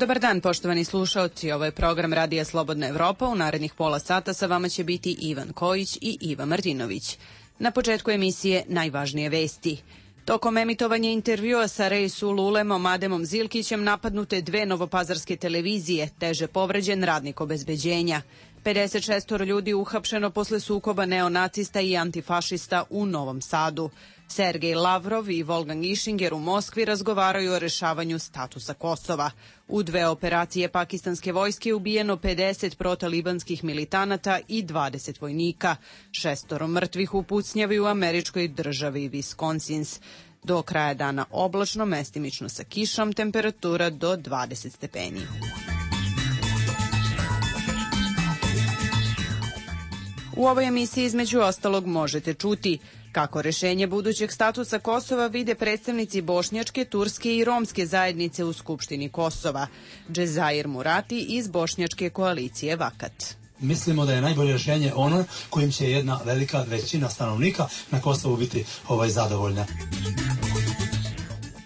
Dobar dan, poštovani slušaoci. Ovo je program Radija Slobodna Evropa. U narednih pola sata sa vama će biti Ivan Kojić i Iva Martinović. Na početku emisije najvažnije vesti. Tokom emitovanja intervjua sa Reisul Ulemom Ademom Zilkićem napadnute dve novopazarske televizije, teže povređen radnik obezbeđenja. 56 ljudi uhapšeno posle sukoba neonacista i antifašista u Novom Sadu. Sergej Lavrov i Wolfgang Ischinger u Moskvi razgovaraju o rešavanju statusa Kosova. U dve operacije pakistanske vojske ubijeno 50 protalibanskih militanata i 20 vojnika. 6 mrtvih u pucnjavi u američkoj državi Wisconsin. Do kraja dana oblačno, mestimično sa kišom, temperatura do 20 stepeni. U ovoj emisiji između ostalog možete čuti kako rešenje budućeg statusa Kosova vide predstavnici bošnjačke, turske i romske zajednice u Skupštini Kosova. Džezair Murati iz bošnjačke koalicije Vakat. Mislimo da je najbolje rešenje ono kojim će jedna velika većina stanovnika na Kosovu biti zadovoljna.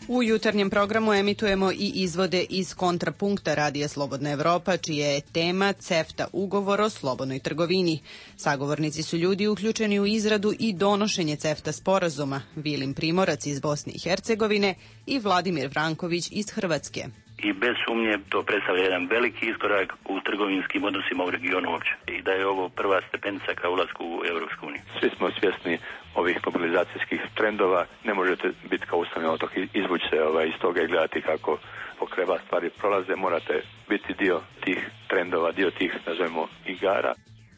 U jutarnjem programu emitujemo i izvode iz kontrapunkta Radija Slobodna Evropa, čija je tema CEFTA ugovor o slobodnoj trgovini. Sagovornici su ljudi uključeni u izradu i donošenje CEFTA sporazuma, Vilim Primorac iz Bosne i Hercegovine i Vladimir Vranković iz Hrvatske. I bez sumnje to predstavlja jedan veliki iskorak u trgovinskim odnosima u regionu uopće. I da je ovo prva stepenica ka ulasku u Evropsku uniju. Svi smo svjesni ovih mobilizacijskih trendova. Ne možete biti kao ustavni otok, izvući se iz toga i gledati kako pokreba stvari prolaze. Morate biti dio tih trendova, dio tih, nazovemo, igara.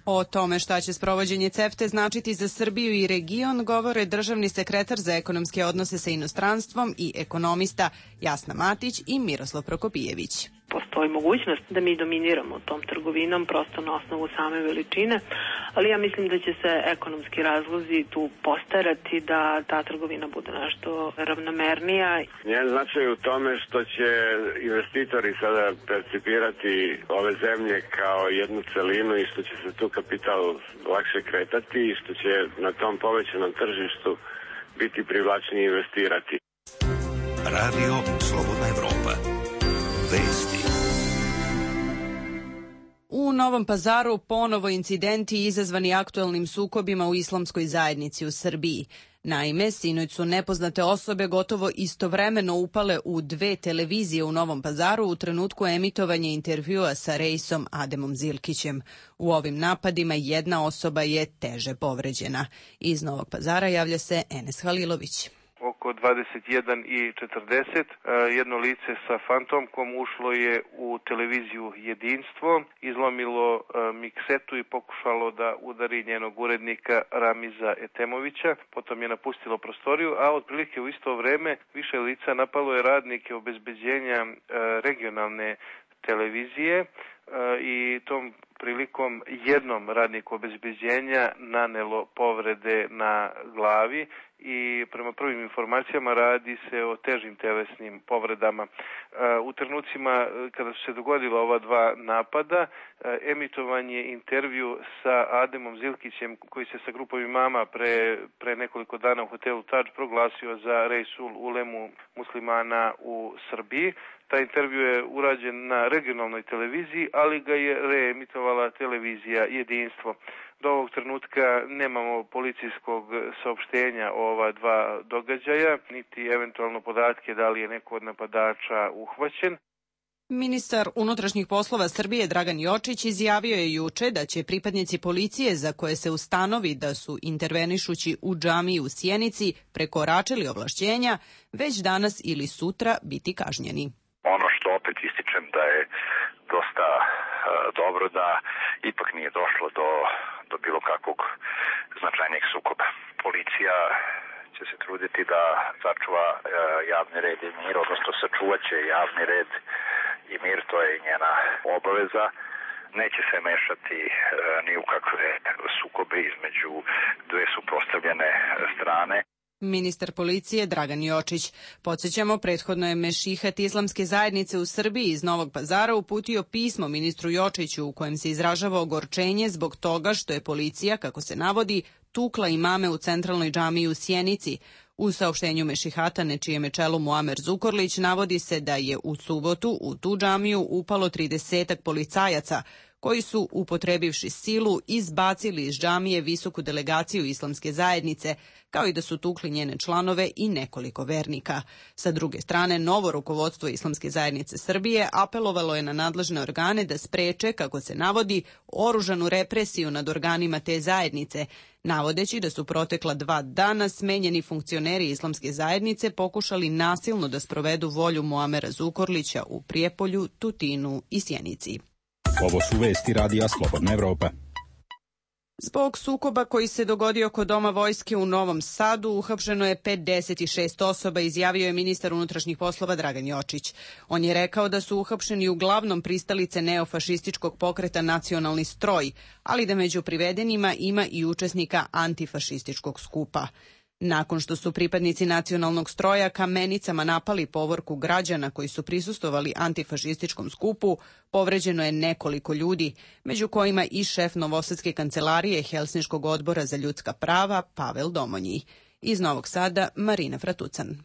O tome šta će sprovođenje CEFTA značiti za Srbiju i region govore državni sekretar za ekonomske odnose sa inostranstvom i ekonomista Jasna Matić i Miroslav Prokopijević. Postoji mogućnost da mi dominiramo tom trgovinom prosto na osnovu same veličine, ali ja mislim da će se ekonomski razlozi tu postarati da ta trgovina bude nešto ravnomernija. Njen značaj u tome što će investitori sada percipirati ove zemlje kao jednu celinu i što će se tu kapital lakše kretati i što će na tom povećanom tržištu biti privlačnije investirati. Radio Slobodna Evropa. Vesti. U Novom Pazaru ponovo incidenti izazvani aktuelnim sukobima u islamskoj zajednici u Srbiji. Naime, sinoć su nepoznate osobe gotovo istovremeno upale u dve televizije u Novom Pazaru u trenutku emitovanja intervjua sa Reisom Ademom Zilkićem. U ovim napadima jedna osoba je teže povređena. Iz Novog Pazara javlja se Enes Halilović. Oko 21:40 jedno lice sa fantomkom ušlo je u televiziju Jedinstvo, izlomilo miksetu i pokušalo da udari njenog urednika Ramiza Etemovića, potom je napustilo prostoriju, a otprilike u isto vreme više lica napalo je radnike obezbeđenja regionalne televizije i tom prilikom jednom radniku obezbeđenja nanelo povrede na glavi i prema prvim informacijama radi se o težim telesnim povredama. U trenucima kada su se dogodila ova dva napada, emitovan je intervju sa Ademom Zilkićem koji se sa grupom imama pre nekoliko dana u hotelu Tadž proglasio za Reisul Ulemu muslimana u Srbiji. Taj intervju je urađen na regionalnoj televiziji, ali ga je reemitovala televizija Jedinstvo. Do ovog trenutka nemamo policijskog saopštenja o ova dva događaja, niti eventualno podatke da li je neko od napadača uhvaćen. Ministar unutrašnjih poslova Srbije Dragan Jočić izjavio je juče da će pripadnici policije za koje se ustanovi da su intervenišući u džamiji u Sjenici prekoračili ovlašćenja već danas ili sutra biti kažnjeni. Ono što opet ističem da je dosta dobro da ipak nije došlo do bilo kakvog značajnijeg sukoba. Policija će se truditi da sačuva javni red i mir, odnosno sačuvaće javni red i mir, to je njena obaveza. Neće se mešati ni u kakve sukobe između dve suprotstavljene strane. Ministar policije Dragan Jočić. Podsećamo, prethodno je Mešihat islamske zajednice u Srbiji iz Novog Pazara uputio pismo ministru Jočiću u kojem se izražava ogorčenje zbog toga što je policija, kako se navodi, tukla imame u centralnoj džamiji u Sjenici. U saopštenju Mešihata, na čijem je čelu Muamer Zukorlić, navodi se da je u subotu u tu džamiju upalo 30 policajaca, koji su, upotrebivši silu, izbacili iz džamije visoku delegaciju islamske zajednice, kao i da su tukli njene članove i nekoliko vernika. Sa druge strane, novo rukovodstvo Islamske zajednice Srbije apelovalo je na nadležne organe da spreče, kako se navodi, oružanu represiju nad organima te zajednice, navodeći da su protekla 2 dana smenjeni funkcioneri Islamske zajednice pokušali nasilno da sprovedu volju Muamera Zukorlića u Prijepolju, Tutinu i Sjenici. Ovo su vesti Radija Slobodna Evropa. Zbog sukoba koji se dogodio kod Doma vojske u Novom Sadu uhapšeno je 56 osoba, izjavio je ministar unutrašnjih poslova Dragan Jočić. On je rekao da su uhapšeni uglavnom pristalice neofašističkog pokreta Nacionalni stroj, ali da među privedenima ima i učesnika antifašističkog skupa. Nakon što su pripadnici Nacionalnog stroja kamenicama napali povorku građana koji su prisustvovali antifašističkom skupu, povređeno je nekoliko ljudi, među kojima i šef Novosadske kancelarije Helsinškog odbora za ljudska prava Pavel Domonji. Iz Novog Sada, Marina Fratucan.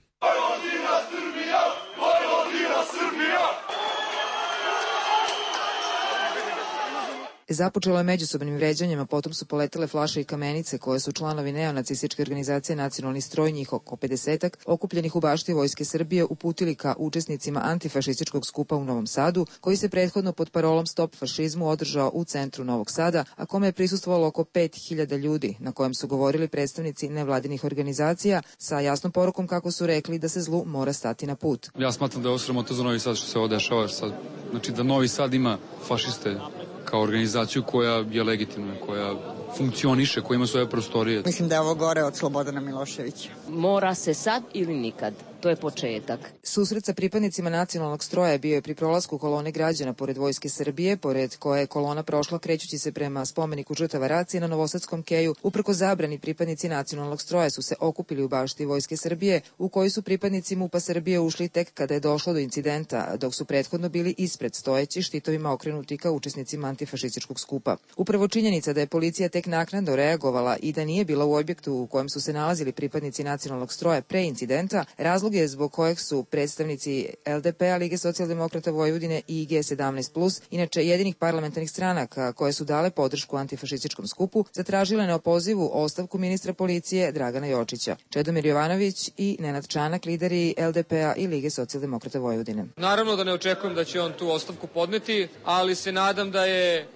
Započelo je međusobnim vređanjem, a potom su poletele flaše i kamenice koje su članovi neonacističke organizacije Nacionalni stroj, njih oko 50-ak, okupljenih u bašti Vojske Srbije, uputili ka učesnicima antifašističkog skupa u Novom Sadu, koji se prethodno pod parolom Stop fašizmu održao u centru Novog Sada, a kome je prisustvovalo oko 5000 ljudi, na kojem su govorili predstavnici nevladinih organizacija sa jasnom porukom, kako su rekli, da se zlu mora stati na put. Ja smatram da je ovo sramota za Novi Sad što se ovo dešava sad. Znači da Novi Sad ima fašiste kao organizaciju koja je legitimna, koja funkcioniše, koja ima svoje prostorije. Mislim da je ovo gore od Slobodana Miloševića. Mora se sad ili nikad. To je početak. Susret sa pripadnicima Nacionalnog stroja bio je pri prolasku kolone građana pored Vojske Srbije, pored koje je kolona prošla krećući se prema spomeniku žrtava racije na Novosadskom keju. Uprko zabrani, pripadnici Nacionalnog stroja su se okupili u bašti Vojske Srbije, u kojoj su pripadnici MUP-a Srbije ušli tek kada je došlo do incidenta, dok su prethodno bili ispred stojeći, štitovima okrenuti ka učesnicima antifašističkog skupa. Upravo činjenica da je policija tek naknadno reagovala i da nije bila u objektu u kojem su se nalazili pripadnici Nacionalnog stroja pre incidenta, razlog je zbog kojeg su predstavnici LDP-a, Lige socijaldemokrata Vojvodine i G17+, inače jedinih parlamentarnih stranaka koje su dale podršku antifašističkom skupu, zatražile na opozivu ostavku ministra policije Dragana Jočića. Čedomir Jovanović i Nenad Čanak, lideri LDP-a i Lige socijaldemokrata Vojvodine. Naravno da ne očekujem da će on tu ostavku podneti, ali se nadam da je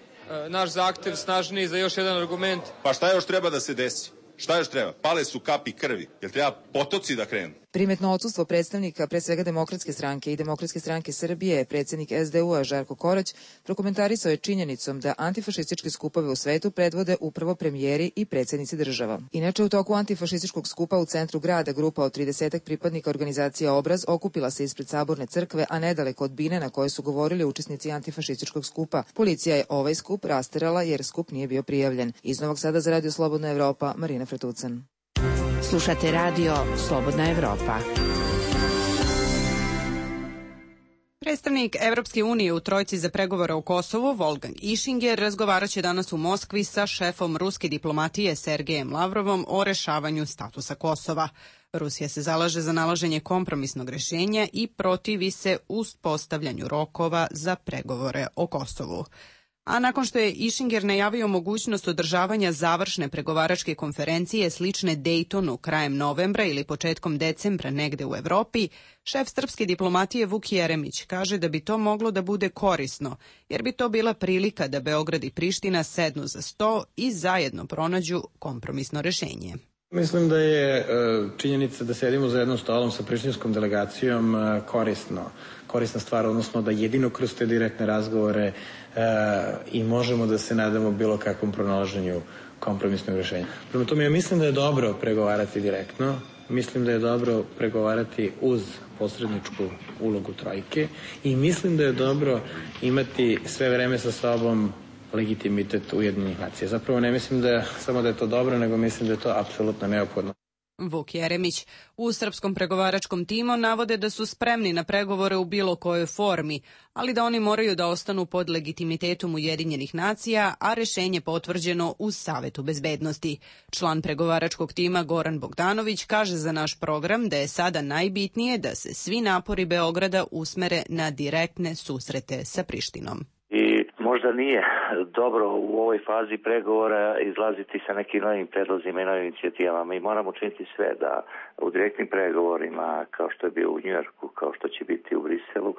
naš zahtev snažniji za još jedan argument. Pa šta još treba da se desi? Šta još treba? Pale su kapi krvi. Jel treba potoci da krenu? Primetno odsustvo predstavnika pre svega Demokratske stranke i Demokratske stranke Srbije, predsjednik SDU-a Žarko Korać, prokomentarisao je činjenicom da antifašističke skupove u svetu predvode upravo premijeri i predsjednici država. Inače, u toku antifašističkog skupa u centru grada grupa od 30 pripadnika organizacije Obraz okupila se ispred Saborne crkve, a nedaleko od bine na kojoj su govorili učesnici antifašističkog skupa. Policija je ovaj skup rasterala jer skup nije bio prijavljen. Iz Novog Sada za Radio Slobodna Evropa, Marina Fratucan. Slušate Radio Slobodna Evropa. Predstavnik Evropske unije u trojci za pregovore o Kosovu, Wolfgang Ischinger, razgovaraće danas u Moskvi sa šefom ruske diplomatije Sergejem Lavrovom o rešavanju statusa Kosova. Rusija se zalaže za nalaženje kompromisnog rešenja i protivi se uspostavljanju rokova za pregovore o Kosovu. A nakon što je Ischinger najavio mogućnost održavanja završne pregovaračke konferencije slične Daytonu krajem novembra ili početkom decembra negde u Evropi, šef srpske diplomatije Vuk Jeremić kaže da bi to moglo da bude korisno, jer bi to bila prilika da Beograd i Priština sednu za sto i zajedno pronađu kompromisno rešenje. Mislim da je činjenica da sedimo za jednom stolom sa prištinskom delegacijom korisna stvar, odnosno da jedino kroz te direktne razgovore i možemo da se nadamo bilo kakvom pronalaženju kompromisnog rešenja. Prema tome, ja mislim da je dobro pregovarati direktno, mislim da je dobro pregovarati uz posredničku ulogu trojke i mislim da je dobro imati sve vreme sa sobom legitimitet Ujedinjenih nacija. Zapravo ne mislim da samo da je to dobro, nego mislim da je to apsolutno neophodno. Vuk Jeremić. U srpskom pregovaračkom timu navode da su spremni na pregovore u bilo kojoj formi, ali da oni moraju da ostanu pod legitimitetom Ujedinjenih nacija, a rešenje potvrđeno u Savetu bezbednosti. Član pregovaračkog tima Goran Bogdanović kaže za naš program da je sada najbitnije da se svi napori Beograda usmere na direktne susrete sa Prištinom. I možda nije dobro u ovoj fazi pregovora izlaziti sa nekim novim predlozima i novim inicijativama. Mi moramo učiniti sve da u direktnim pregovorima, kao što je bio u Njujorku, kao što će biti u Briselu,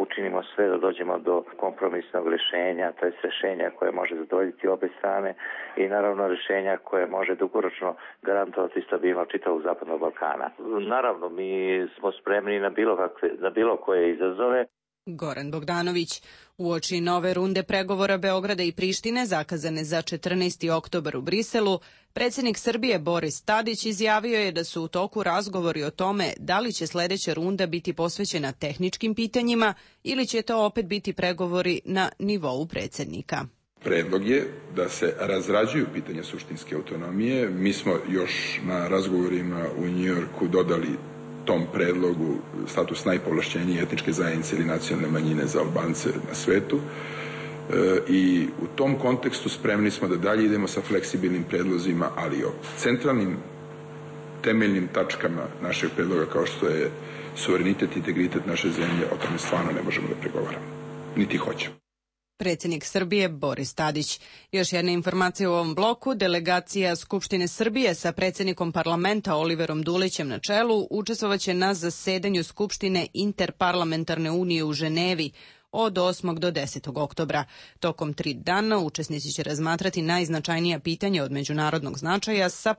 učinimo sve da dođemo do kompromisnog rešenja, to je rešenja koje može zadovoljiti obe strane i naravno rešenja koje može dugoročno garantovati stabilnost čitavog Zapadnog Balkana. Naravno, mi smo spremni na bilo koje izazove. Goran Bogdanović. Uoči nove runde pregovora Beograda i Prištine zakazane za 14. oktobar u Briselu, predsjednik Srbije Boris Tadić izjavio je da su u toku razgovori o tome da li će sledeća runda biti posvećena tehničkim pitanjima ili će to opet biti pregovori na nivou predsjednika. Predlog je da se razrađuju pitanja suštinske autonomije. Mi smo još na razgovorima u Njujorku dodali tom predlogu status najpovlašćenije etničke zajednice ili nacionalne manjine za Albance na svetu. I u tom kontekstu spremni smo da dalje idemo sa fleksibilnim predlozima, ali o centralnim temeljnim tačkama našeg predloga kao što je suverenitet i integritet naše zemlje, o tome stvarno ne možemo da pregovaramo. Niti hoćemo. Predsjednik Srbije Boris Tadić. Još jedna informacija u ovom bloku. Delegacija Skupštine Srbije sa predsjednikom parlamenta Oliverom Dulićem na čelu učestvovaće na zasedanju Skupštine Interparlamentarne unije u Ženevi od 8. do 10. oktobra. Tokom 3 dana učesnici će razmatrati najznačajnija pitanja od međunarodnog značaja sa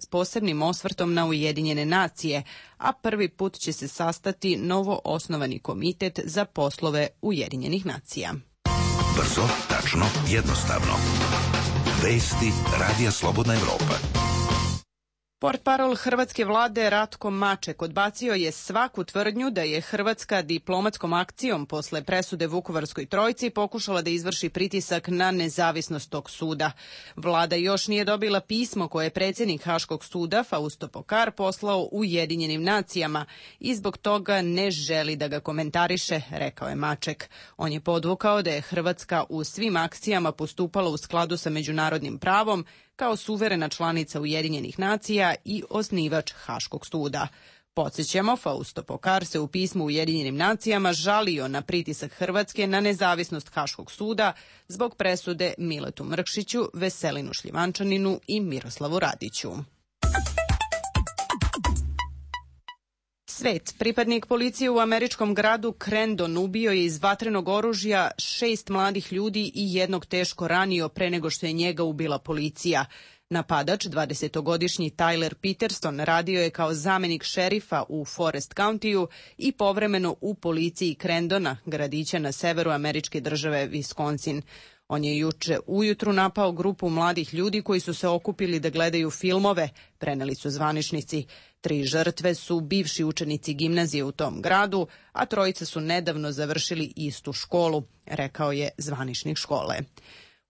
posebnim osvrtom na Ujedinjene nacije, a prvi put će se sastati novo osnovani komitet za poslove Ujedinjenih nacija. Brzo, tačno, jednostavno. Vesti Radija Slobodna Evropa. Portparol hrvatske vlade Ratko Maček odbacio je svaku tvrdnju da je Hrvatska diplomatskom akcijom posle presude Vukovarskoj trojci pokušala da izvrši pritisak na nezavisnost tog suda. Vlada još nije dobila pismo koje je predsjednik Haškog suda Fausto Pokar poslao Ujedinjenim nacijama i zbog toga ne želi da ga komentariše, rekao je Maček. On je podvukao da je Hrvatska u svim akcijama postupala u skladu sa međunarodnim pravom kao suverena članica Ujedinjenih nacija i osnivač Haškog suda. Podsjećamo, Fausto Pokar se u pismu Ujedinjenim nacijama žalio na pritisak Hrvatske na nezavisnost Haškog suda zbog presude Miletu Mrkšiću, Veselinu Šljivančaninu i Miroslavu Radiću. Svet. Pripadnik policije u američkom gradu Crandon ubio je iz vatrenog oružja 6 mladih ljudi i jednog teško ranio pre nego što je njega ubila policija. Napadač, 20-godišnji Tyler Peterson, radio je kao zamenik šerifa u Forest Countyu i povremeno u policiji Crandona, gradića na severu američke države Wisconsin. On je juče ujutru napao grupu mladih ljudi koji su se okupili da gledaju filmove, preneli su zvaničnici. 3 žrtve su bivši učenici gimnazije u tom gradu, a 3 su nedavno završili istu školu, rekao je zvaničnik škole.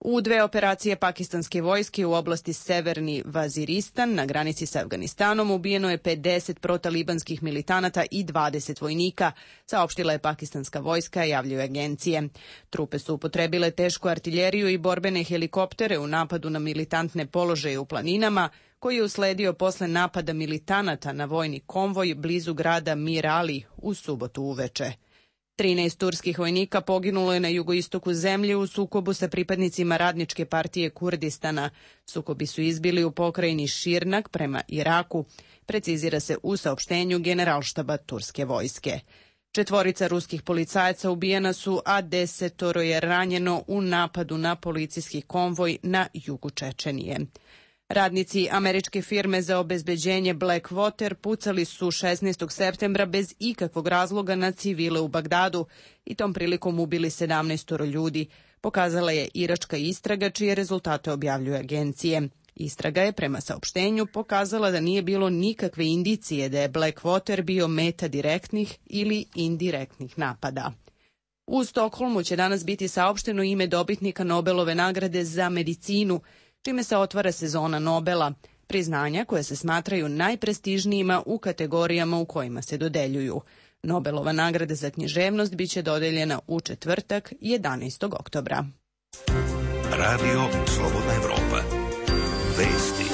U 2 operacije pakistanske vojske u oblasti Severni Vaziristan na granici sa Afganistanom ubijeno je 50 protalibanskih militanata i 20 vojnika, saopštila je pakistanska vojska, javljaju agencije. Trupe su upotrebile tešku artiljeriju i borbene helikoptere u napadu na militantne položaje u planinama, koji je usledio posle napada militanata na vojni konvoj blizu grada Mir Ali u subotu uveče. 13 turskih vojnika poginulo je na jugoistoku zemlje u sukobu sa pripadnicima Radničke partije Kurdistana. Sukobi su izbili u pokrajini Širnak prema Iraku, precizira se u saopštenju Generalštaba turske vojske. 4 ruskih policajaca ubijena su, a 10 je ranjeno u napadu na policijski konvoj na jugu Čečenije. Radnici američke firme za obezbeđenje Blackwater pucali su 16. septembra bez ikakvog razloga na civile u Bagdadu i tom prilikom ubili 17 ljudi, pokazala je iračka istraga čije rezultate objavljuju agencije. Istraga je prema saopštenju pokazala da nije bilo nikakve indicije da je Blackwater bio meta direktnih ili indirektnih napada. U Stokholmu će danas biti saopšteno ime dobitnika Nobelove nagrade za medicinu, čime se otvara sezona Nobela. priznanja koja se smatraju najprestižnijima u kategorijama u kojima se dodeljuju. Nobelova nagrada za književnost biće dodeljena u četvrtak 11. oktobra. Radio Slobodna Evropa. Vesti.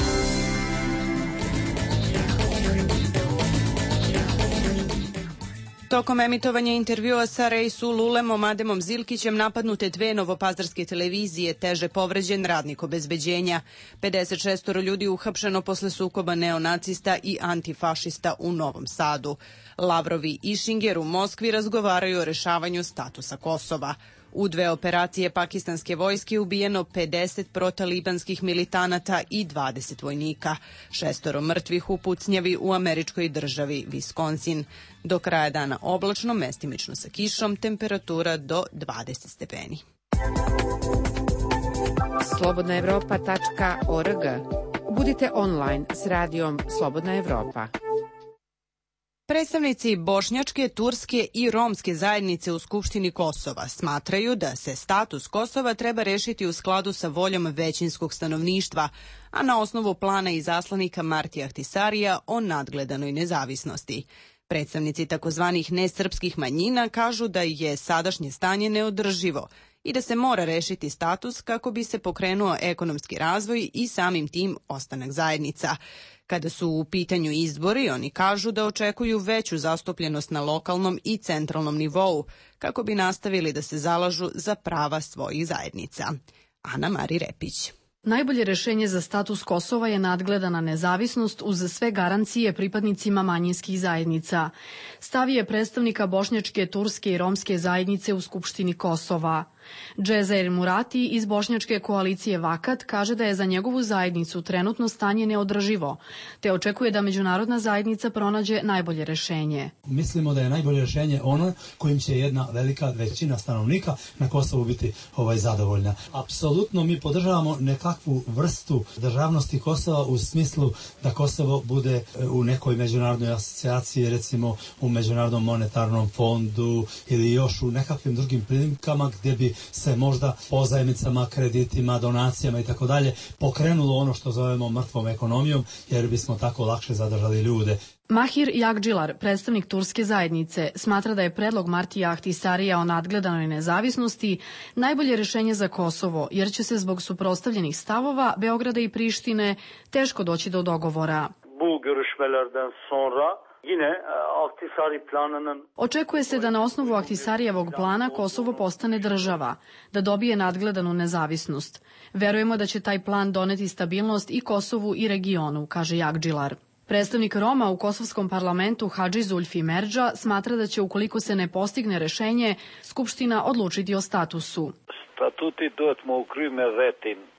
Tokom emitovanja intervjua sa Reisul Ulem Ademom Zilkićem napadnute dve novopazarske televizije, teže povređen radnik obezbeđenja. 56 ljudi uhapšeno posle sukoba neonacista i antifašista u Novom Sadu. Lavrovi i Šinger u Moskvi razgovaraju o rešavanju statusa Kosova. U dve operacije pakistanske vojske ubijeno 50 protalibanskih militanata i 20 vojnika. 6 mrtvih u pucnjavi u američkoj državi Wisconsin. Do kraja dana oblačno, mestimično sa kišom, temperatura do 20 stepeni. slobodnaevropa.org. Budite online s radijom Slobodna Evropa. Predstavnici bošnjačke, turske i romske zajednice u Skupštini Kosova smatraju da se status Kosova treba rešiti u skladu sa voljom većinskog stanovništva, a na osnovu plana izaslanika Martija Ahtisarija o nadgledanoj nezavisnosti. Predstavnici takozvanih nesrpskih manjina kažu da je sadašnje stanje neodrživo i da se mora rešiti status kako bi se pokrenuo ekonomski razvoj i samim tim ostanak zajednica. Kada su u pitanju izbori, oni kažu da očekuju veću zastupljenost na lokalnom i centralnom nivou, kako bi nastavili da se zalažu za prava svojih zajednica. Ana Mari Repić. Najbolje rešenje za status Kosova je nadgledana nezavisnost uz sve garancije pripadnicima manjinskih zajednica. Stav je predstavnika bošnjačke, turske i romske zajednice u Skupštini Kosova. Džezair Murati iz bošnjačke koalicije Vakat kaže da je za njegovu zajednicu trenutno stanje neodrživo, te očekuje da međunarodna zajednica pronađe najbolje rešenje. Mislimo da je najbolje rešenje ono kojim će jedna velika većina stanovnika na Kosovu biti zadovoljna. Apsolutno mi podržavamo nekakvu vrstu državnosti Kosova u smislu da Kosovo bude u nekoj međunarodnoj asocijaciji, recimo u Međunarodnom monetarnom fondu ili još u nekakvim drugim prilikama gdje bi se možda pozajmicama, kreditima, donacijama i tako dalje pokrenulo ono što zovemo mrtvom ekonomijom, jer bismo tako lakše zadržali ljude. Mahir Jagdžilar, predstavnik turske zajednice, smatra da je predlog Martija Ahtisarija o nadgledanoj nezavisnosti najbolje rešenje za Kosovo, jer će se zbog suprotstavljenih stavova Beograda i Prištine teško doći do dogovora. Bu görüşmelerden sonra yine Ahtisari planının... Očekuje se da na osnovu Ahtisarijevog plana Kosovo postane država, da dobije nadgledanu nezavisnost. Verujemo da će taj plan doneti stabilnost i Kosovu i regionu, kaže Jagdžilar. Predstavnik Roma u kosovskom parlamentu Hadži Zulfi Merdža smatra da će, ukoliko se ne postigne rešenje, Skupština odlučiti o statusu.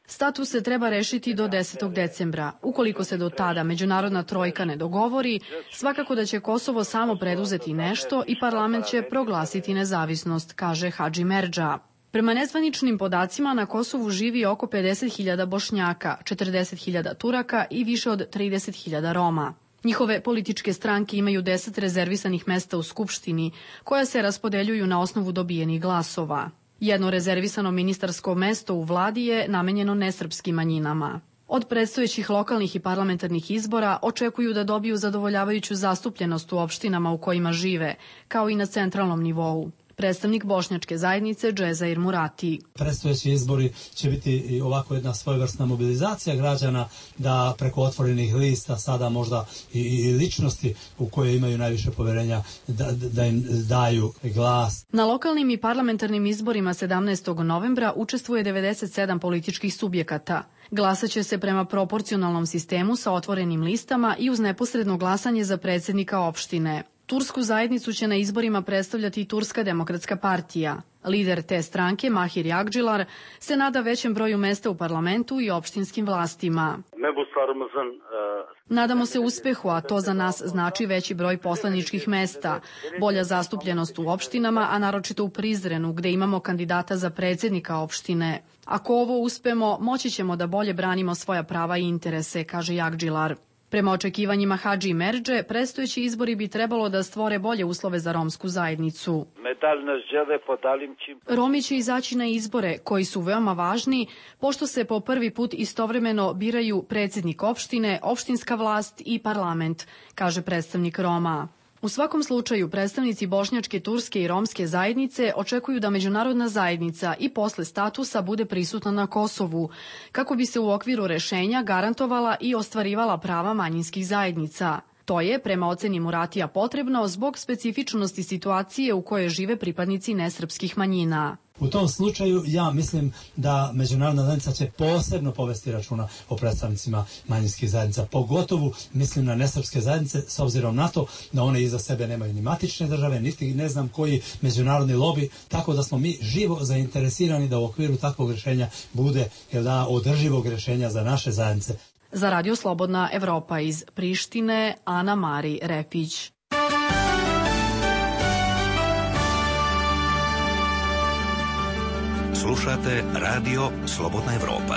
Status se treba rešiti do 10. decembra. Ukoliko se do tada međunarodna trojka ne dogovori, svakako da će Kosovo samo preduzeti nešto i parlament će proglasiti nezavisnost, kaže Hadži Merdža. Prema nezvaničnim podacima na Kosovu živi oko 50.000 Bošnjaka, 40.000 Turaka i više od 30.000 Roma. Njihove političke stranke imaju 10 rezervisanih mesta u Skupštini, koja se raspodeljuju na osnovu dobijenih glasova. Jedno rezervisano ministarsko mesto u vladi je namenjeno nesrpskim manjinama. Od predstojećih lokalnih i parlamentarnih izbora očekuju da dobiju zadovoljavajuću zastupljenost u opštinama u kojima žive, kao i na centralnom nivou. Predstavnik bošnjačke zajednice Džezair Murati. Predstojeći izbori će biti ovako jedna svojevrsna mobilizacija građana da preko otvorenih lista sada možda i ličnosti u koje imaju najviše poverenja da im daju glas. Na lokalnim i parlamentarnim izborima 17. novembra učestvuje 97 političkih subjekata. Glasaće se prema proporcionalnom sistemu sa otvorenim listama i uz neposredno glasanje za predsjednika opštine. Tursku zajednicu će na izborima predstavljati Turska demokratska partija. Lider te stranke, Mahir Jagdžilar, se nada većem broju mesta u parlamentu i opštinskim vlastima. Nadamo se uspehu, a to za nas znači veći broj poslaničkih mesta, bolja zastupljenost u opštinama, a naročito u Prizrenu, gde imamo kandidata za predsjednika opštine. Ako ovo uspemo, moći ćemo da bolje branimo svoja prava i interese, kaže Jagdžilar. Prema očekivanjima Hadži Merdže, predstojeći izbori bi trebalo da stvore bolje uslove za romsku zajednicu. Romi će izaći na izbore, koji su veoma važni, pošto se po prvi put istovremeno biraju predsjednik opštine, opštinska vlast i parlament, kaže predstavnik Roma. U svakom slučaju, predstavnici bošnjačke, turske i romske zajednice očekuju da međunarodna zajednica i posle statusa bude prisutna na Kosovu, kako bi se u okviru rešenja garantovala i ostvarivala prava manjinskih zajednica. To je, prema oceni Muratija, potrebno zbog specifičnosti situacije u kojoj žive pripadnici nesrpskih manjina. U tom slučaju ja mislim da međunarodna zajednica će posebno povesti računa o predstavnicima manjinskih zajednica. Pogotovo mislim na nesrpske zajednice, s obzirom na to da one iza sebe nemaju ni matične države, niti ne znam koji međunarodni lobi, tako da smo mi živo zainteresirani da u okviru takvog rješenja bude održivog rješenja za naše zajednice. Za Radio Slobodna Evropa iz Prištine, Ana Mari Repić. Slušate Radio Slobodna Evropa.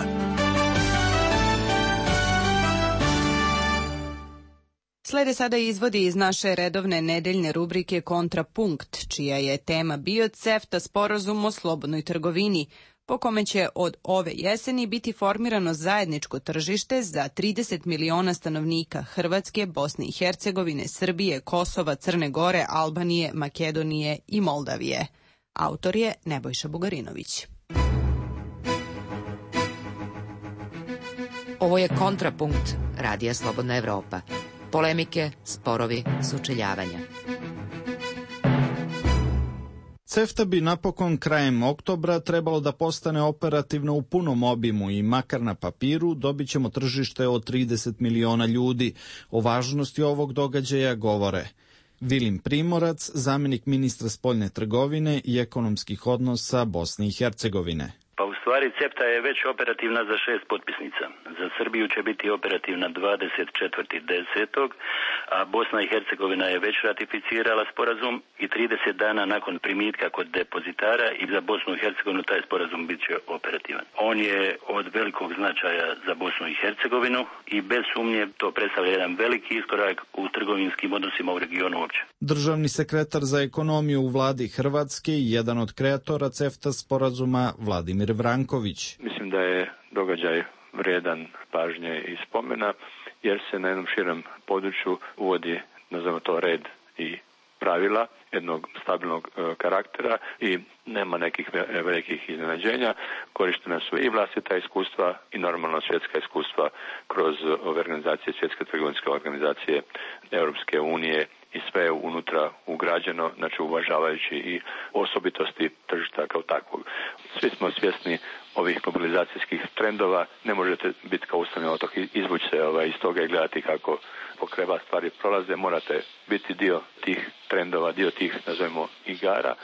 Slede sada izvodi iz naše redovne nedeljne rubrike Kontrapunkt, čija je tema bio CEFTA sporazum o slobodnoj trgovini, po kome će od ove jeseni biti formirano zajedničko tržište za 30 miliona stanovnika Hrvatske, Bosne i Hercegovine, Srbije, Kosova, Crne Gore, Albanije, Makedonije i Moldavije. Autor je Nebojša Bugarinović. Ovo je Kontrapunkt Radija Slobodna Evropa. Polemike, sporovi, sučeljavanja. CEFTA bi napokon krajem oktobra trebalo da postane operativno u punom obimu i makar na papiru dobit ćemo tržište od 30 miliona ljudi. O važnosti ovog događaja govore Vilim Primorac, zamjenik ministra spoljne trgovine i ekonomskih odnosa Bosne i Hercegovine. Pa u stvari CEFTA je već operativna za 6 potpisnica. Za Srbiju će biti operativna 24.10. a Bosna i Hercegovina je već ratificirala sporazum i 30 dana nakon primitka kod depozitara i za Bosnu i Hercegovinu taj sporazum bit će operativan. On je od velikog značaja za Bosnu i Hercegovinu i bez sumnje to predstavlja jedan veliki iskorak u trgovinskim odnosima u regionu uopće. Državni sekretar za ekonomiju u vladi Hrvatske i jedan od kreatora CEFTA sporazuma Vladimir Vranković. Mislim da je događaj vredan pažnje i spomena, jer se na jednom širem području uvodi, nazvamo to, red i pravila jednog stabilnog karaktera i nema nekih velikih iznenađenja. Korištena su i vlastita iskustva i normalno svjetska iskustva kroz ove organizacije, svjetske trgovinske organizacije Europske unije i sve je unutra ugrađeno, znači uvažavajući i osobitosti tržišta kao takvog. Svi smo svjesni ovih globalizacijskih trendova, ne možete biti kao ustavni otok, izvući se iz toga i gledati kako pokreba stvari prolaze, morate biti dio tih trendova, dio tih, nazovimo, igara,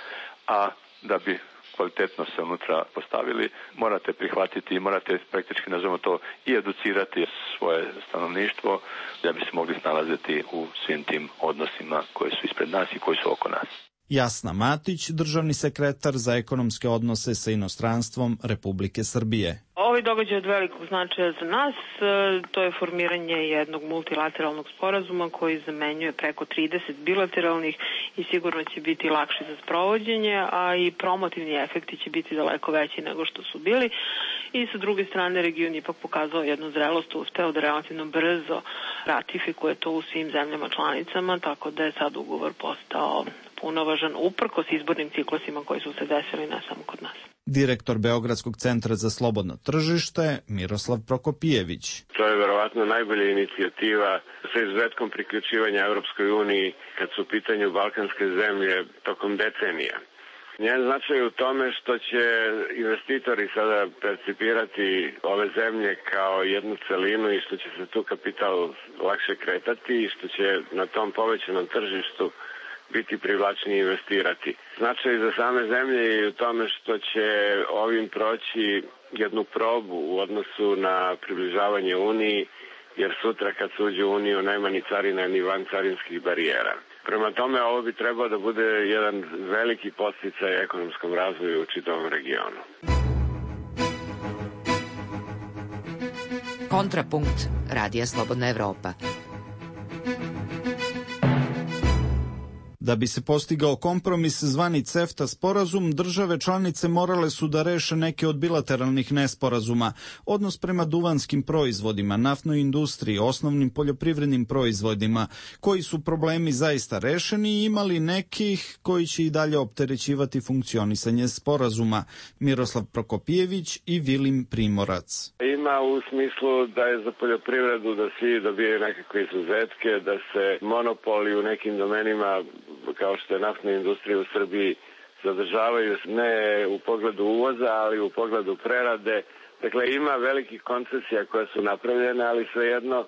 a da bi kvalitetno se unutra postavili, morate prihvatiti i morate praktički, nazovimo to, i educirati svoje stanovništvo da bi se mogli snalaziti u svim tim odnosima koji su ispred nas i koji su oko nas. Jasna Matić, državni sekretar za ekonomske odnose sa inostranstvom Republike Srbije. Ovaj događaj je od velikog značaja za nas. To je formiranje jednog multilateralnog sporazuma koji zamenjuje preko 30 bilateralnih i sigurno će biti lakši za sprovođenje, a i promotivni efekti će biti daleko veći nego što su bili. I sa druge strane region ipak pokazao jednu zrelost, uspeo da relativno brzo ratifikuje to u svim zemljama članicama, tako da je sad ugovor postao punovažan uprkos izbornim ciklusima koji su se desili ne samo kod nas. Direktor Beogradskog centra za slobodno tržište Miroslav Prokopijević. To je verovatno najbolja inicijativa sa izuzetkom priključivanja Evropskoj uniji kad su u pitanju balkanske zemlje tokom decenija. Njen značaj je u tome što će investitori sada percipirati ove zemlje kao jednu celinu i što će se tu kapital lakše kretati i što će na tom povećanom tržištu biti privlačnije investirati. Značaj za same zemlje je u tome što će ovim proći jednu probu u odnosu na približavanje Uniji, jer sutra kad se uđe u Uniju nema ni carina ni vancarinskih barijera. Prema tome, ovo bi trebao da bude jedan veliki podsticaj ekonomskom razvoju u čitavom regionu. Kontrapunkt Radija Slobodna Evropa. Da bi se postigao kompromis zvani CEFTA sporazum, države članice morale su da reše neke od bilateralnih nesporazuma, odnos prema duvanskim proizvodima, naftnoj industriji, osnovnim poljoprivrednim proizvodima, koji su problemi zaista rešeni i imali nekih koji će i dalje opterećivati funkcionisanje sporazuma. Miroslav Prokopijević i Vilim Primorac. Ima u smislu da je za poljoprivredu da svi dobijaju nekakve izuzetke, da se monopoli u nekim domenima kao što je naftna industrija u Srbiji zadržavaju ne u pogledu uvoza, ali u pogledu prerade. Dakle, ima velikih koncesija koje su napravljene, ali svejedno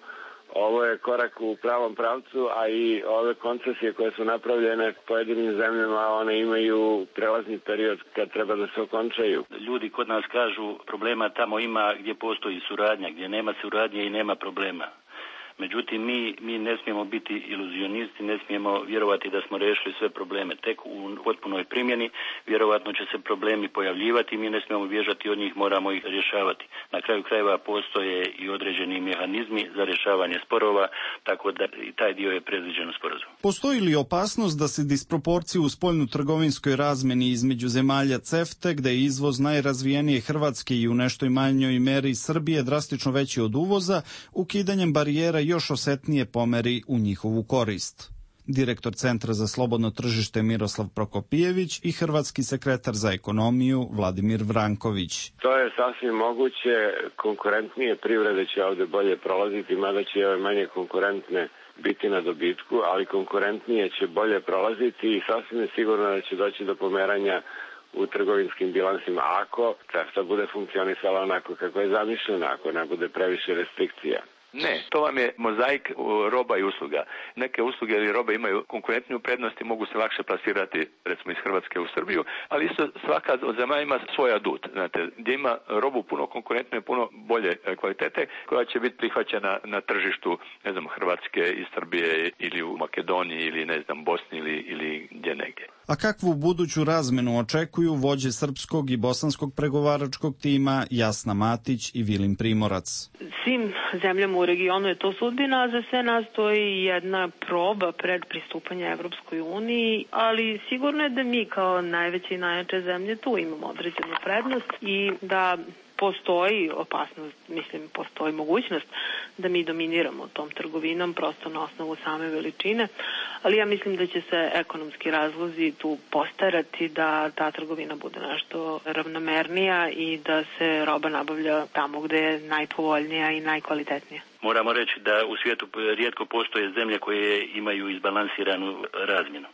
ovo je korak u pravom pravcu, a i ove koncesije koje su napravljene pojedinim zemljama, one imaju prelazni period kad treba da se okončaju. Ljudi kod nas kažu problema tamo ima gdje postoji suradnja, gdje nema suradnje i nema problema. Međutim, mi ne smijemo biti iluzionisti, ne smijemo vjerovati da smo riješili sve probleme. Tek u potpunoj primjeni vjerovatno će se problemi pojavljivati, mi ne smijemo bježati od njih, moramo ih rješavati. Na kraju krajeva postoje i određeni mehanizmi za rješavanje sporova, tako da i taj dio je predviđen u sporazumu. Postoji li opasnost da se disproporcije u spoljno-trgovinskoj razmeni između zemalja CEFTA, gde je izvoz najrazvijenije Hrvatske i u nešto manjoj meri Srbije drastično veći od uvoza, ukidanjem barijera još osetnije pomeri u njihovu korist? Direktor Centra za slobodno tržište Miroslav Prokopijević i hrvatski sekretar za ekonomiju Vladimir Vranković. To je sasvim moguće, konkurentnije privrede će ovde bolje prolaziti, mada će ove manje konkurentne biti na dobitku, ali konkurentnije će bolje prolaziti i sasvim je sigurno da će doći do pomeranja u trgovinskim bilansima ako CEFTA bude funkcionisala onako kako je zamišljena, ako ne bude previše restrikcija. Ne, to vam je mozaik roba i usluga. Neke usluge ili robe imaju konkurentniju prednost i mogu se lakše plasirati, recimo iz Hrvatske u Srbiju, ali isto svaka od zemalja ima svoj adut, znate, gdje ima robu puno konkurentnije, puno bolje kvalitete, koja će biti prihvaćena na tržištu, ne znam, Hrvatske i Srbije ili u Makedoniji ili, ne znam, Bosni ili gdje negdje. A kakvu buduću razmenu očekuju vođe srpskog i bosanskog pregovaračkog tima Jasna Matić i Vilim Primorac? Svim zemljama u regionu je to sudbina, a za sve nas to je jedna proba pred pristupanje Evropskoj uniji, ali sigurno je da mi kao najveće i najjače zemlje tu imamo određenu prednost i da postoji opasnost, postoji mogućnost da mi dominiramo tom trgovinom prosto na osnovu same veličine, ali ja mislim da će se ekonomski razlozi tu postarati da ta trgovina bude nešto ravnomernija i da se roba nabavlja tamo gde je najpovoljnija i najkvalitetnija. Moramo reći da u svijetu rijetko postoje zemlje koje imaju izbalansiranu razmjenu.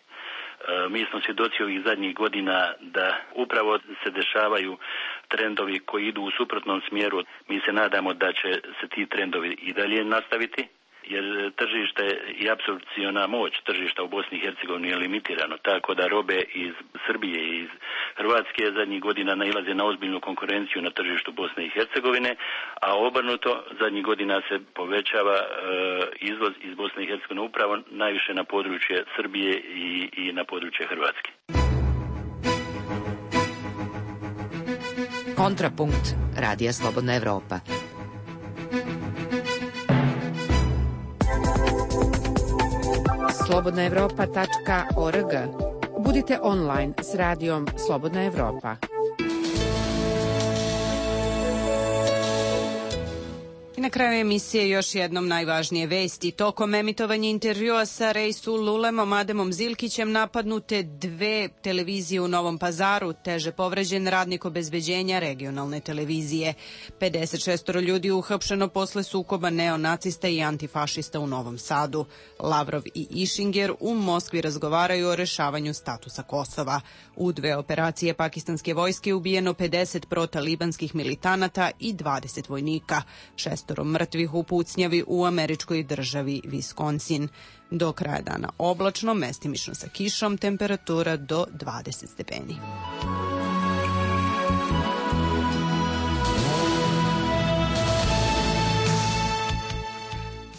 Mi smo svjedoci ovih zadnjih godina da upravo se dešavaju trendovi koji idu u suprotnom smjeru. Mi se nadamo da će se ti trendovi i dalje nastaviti, jer tržište i apsorpciona moć tržišta u Bosni i Hercegovini je limitirano, tako da robe iz Srbije i iz Hrvatske zadnjih godina nailaze na ozbiljnu konkurenciju na tržištu Bosne i Hercegovine, a obrnuto zadnjih godina se povećava izvoz iz Bosne i Hercegovine upravo najviše na područje Srbije i na područje Hrvatske. Kontrapunkt Radija Slobodna Evropa. slobodnaevropa.org. Budite online s radijom Slobodna Evropa. I na kraju emisije još jednom najvažnije vesti. Tokom emitovanja intervjua sa Reisul Ulemom Ademom Zilkićem napadnute 2 televizije u Novom Pazaru, teže povređen radnik obezbeđenja regionalne televizije. 56 ljudi uhapšeno posle sukoba neonacista i antifašista u Novom Sadu. Lavrov i Išinger u Moskvi razgovaraju o rešavanju statusa Kosova. U 2 operacije pakistanske vojske ubijeno 50 protalibanskih militanata i 20 vojnika. 6 mrtvih u pucnjavi u američkoj državi Wisconsin. Do kraja dana oblačno, mestimično sa kišom, temperatura do 20 stepeni.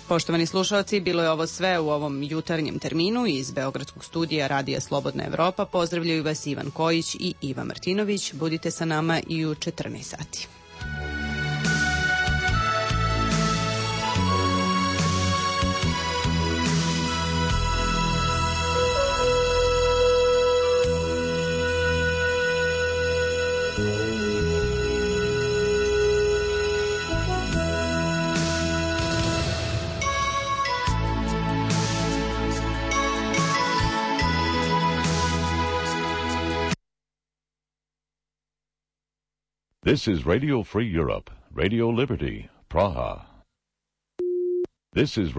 Poštovani slušalci, bilo je ovo sve u ovom jutarnjem terminu. Iz Beogradskog studija Radija Slobodna Evropa pozdravljaju vas Ivan Kojić i Iva Martinović. Budite sa nama i u 14 sati. This is Radio Free Europe, Radio Liberty, Praha. This is